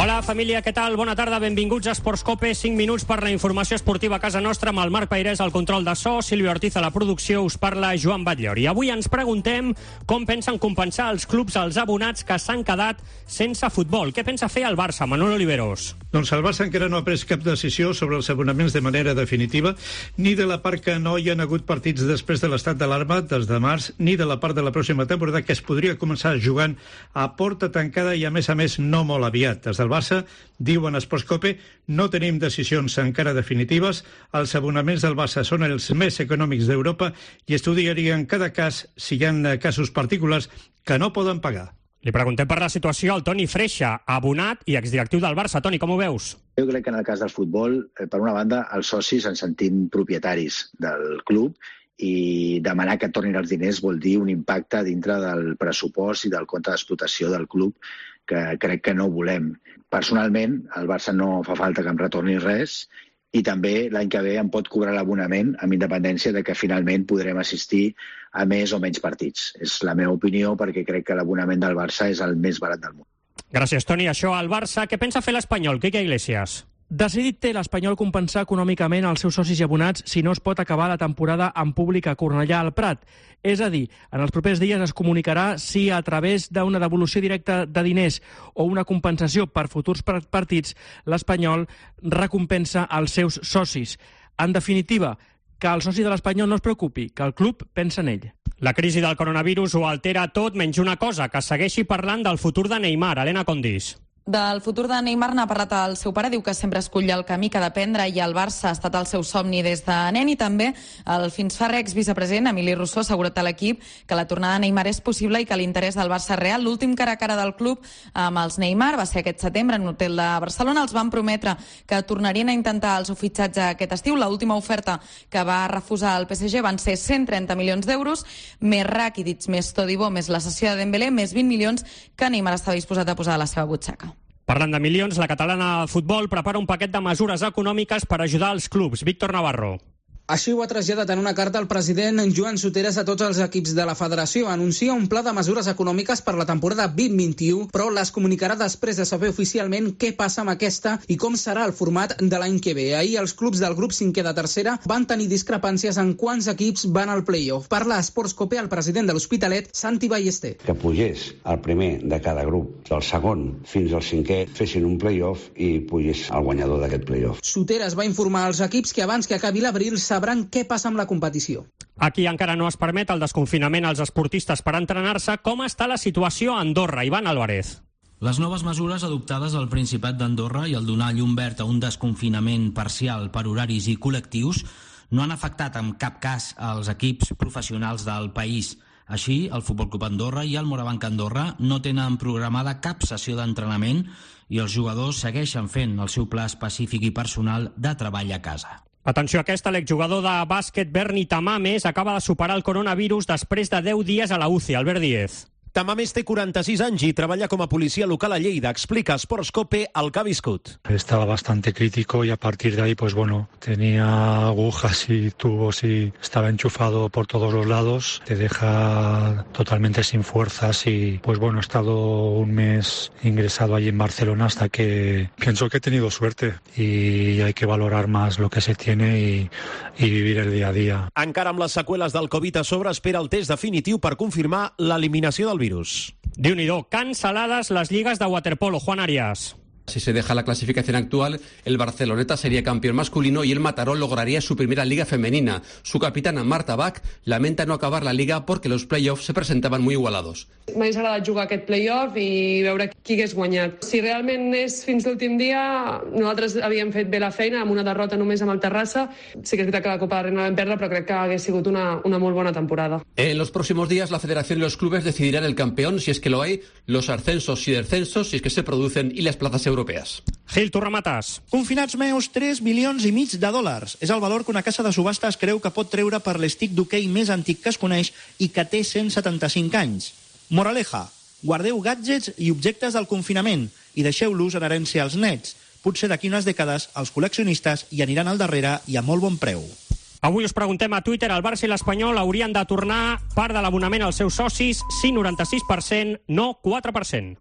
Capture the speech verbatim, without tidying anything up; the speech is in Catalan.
Hola, família, què tal? Bona tarda, benvinguts a Esportscope. cinc minuts per la informació esportiva a casa nostra, amb el Marc Peirés al control de so, Silvio Ortiz a la producció, us parla Joan Batllori. I avui ens preguntem com pensen compensar els clubs als abonats que s'han quedat sense futbol. Què pensa fer el Barça, Manuel Oliveros? Doncs el Barça encara no ha pres cap decisió sobre els abonaments de manera definitiva, ni de la part que no hi han hagut partits després de l'estat d'alarma des de març, ni de la part de la pròxima temporada que es podria començar jugant a porta tancada i, a més a més, no molt aviat. Des del Barça, diuen a Esportscope, no tenim decisions encara definitives, els abonaments del Barça són els més econòmics d'Europa i estudiarien cada cas si hi ha casos particulars que no poden pagar. Li preguntem per la situació al Toni Freixa, abonat i exdirectiu del Barça. Toni, com ho veus? Jo crec que en el cas del futbol, per una banda, els socis ens sentim propietaris del club i demanar que tornin els diners vol dir un impacte dintre del pressupost i del compte d'explotació del club que crec que no volem. Personalment, al Barça no fa falta que em retorni res i també l'any que ve em pot cobrar l'abonament amb independència de que finalment podrem assistir a més o menys partits. És la meva opinió perquè crec que l'abonament del Barça és el més barat del món. Gràcies, Toni. Això al Barça. Què pensa fer l'Espanyol, Quique Iglesias? Decidit té l'Espanyol compensar econòmicament els seus socis i abonats si no es pot acabar la temporada en públic a Cornellà al Prat. És a dir, en els propers dies es comunicarà si a través d'una devolució directa de diners o una compensació per futurs partits l'Espanyol recompensa els seus socis. En definitiva, que el soci de l'Espanyol no es preocupi, que el club pensa en ell. La crisi del coronavirus ho altera tot menys una cosa, que segueixi parlant del futur de Neymar. Helena Condis. Del futur de Neymar n'ha parlat el seu pare, diu que sempre escull el camí que ha de prendre i el Barça ha estat el seu somni des de nen, i també el fins fa re exvicepresident Emili Rousseau ha assegurat a l'equip que la tornada de Neymar és possible i que l'interès del Barça és real. L'últim cara a cara del club amb els Neymar va ser aquest setembre en un hotel de Barcelona. Els van prometre que tornarien a intentar el seu fitxatge aquest estiu. L'última oferta que va refusar el P S G van ser cent trenta milions d'euros, més Rakitic, més Todibo, més la cessió de Dembélé, més vint milions que Neymar estava disposat a posar a la seva butxaca. Parlant de milions, la catalana de futbol prepara un paquet de mesures econòmiques per ajudar els clubs. Víctor Navarro. Així ho ha traslladat en una carta el president Joan Soteras a tots els equips de la federació. Anuncia un pla de mesures econòmiques per la temporada vint vint i u, però les comunicarà després de saber oficialment què passa amb aquesta i com serà el format de l'any que ve. Ahir els clubs del grup cinquè de tercera van tenir discrepàncies en quants equips van al play-off. Parla a Esportscope el president de l'Hospitalet, Santi Ballester. Que pugés el primer de cada grup, del segon fins al cinquè, fessin un play-off i pugés el guanyador d'aquest play-off. Soteras va informar als equips que abans que acabi l'abril sabran què passa amb la competició. Aquí encara no es permet el desconfinament als esportistes per entrenar-se. Com està la situació a Andorra? Ivan Álvarez. Les noves mesures adoptades al Principat d'Andorra i el donar llum verd a un desconfinament parcial per horaris i col·lectius no han afectat en cap cas als equips professionals del país. Així, el Futbol Club Andorra i el Morabanc Andorra no tenen programada cap sessió d'entrenament i els jugadors segueixen fent el seu pla específic i personal de treball a casa. Atenció a aquesta, l'exjugador de bàsquet Berni Tamames acaba de superar el coronavirus després de deu dies a la U C I. Albert Díez. Tamames té quaranta-sis anys i treballa com a policia local a Lleida. Explica a Esportscope el que ha viscut. Estaba bastante crítico y a partir de ahí, pues bueno, tenía agujas y tubos y estaba enchufado por todos los lados. Te deja totalmente sin fuerzas y, pues bueno, he estado un mes ingresado allí en Barcelona hasta que pienso que he tenido suerte y hay que valorar más lo que se tiene y, y vivir el día a día. Encara amb les seqüeles del Covid a sobre, espera el test definitiu per confirmar l'eliminació del virus. Déu-n'hi-do, cancel·lades les lligues de waterpolo. Juan Arias. Si se deja la clasificación actual, el Barceloneta sería campeón masculino y el Mataró lograría su primera liga femenina. Su capitana, Marta Bach, lamenta no acabar la liga porque los play-offs se presentaban muy igualados. M'hagués agradat jugar aquest play-off i veure qui hagués guanyat. Si realment és fins l'últim dia, nosaltres havíem fet bé la feina amb una derrota només amb el Terrassa. Sí que és veritat que la Copa de Reina vam perdre, però crec que hagués sigut una, una molt bona temporada. En los próximos días, la Federación y los clubes decidirán el campeón, si es que lo hay, los ascensos y descensos, si es que se producen, y las plazas europeas. Gil, tu remates. Confinats meus, tres milions i mig de dòlars. És el valor que una casa de subhastes creu que pot treure per l'estic d'hoquei més antic que es coneix i que té cent setanta-cinc anys. Moraleja, guardeu gadgets i objectes del confinament i deixeu-los en herència als nets. Potser d'aquí unes dècades els col·leccionistes hi aniran al darrere i a molt bon preu. Avui us preguntem a Twitter, el Barça i l'Espanyol haurien de tornar part de l'abonament als seus socis? Sí, noranta-sis per cent, no, quatre per cent.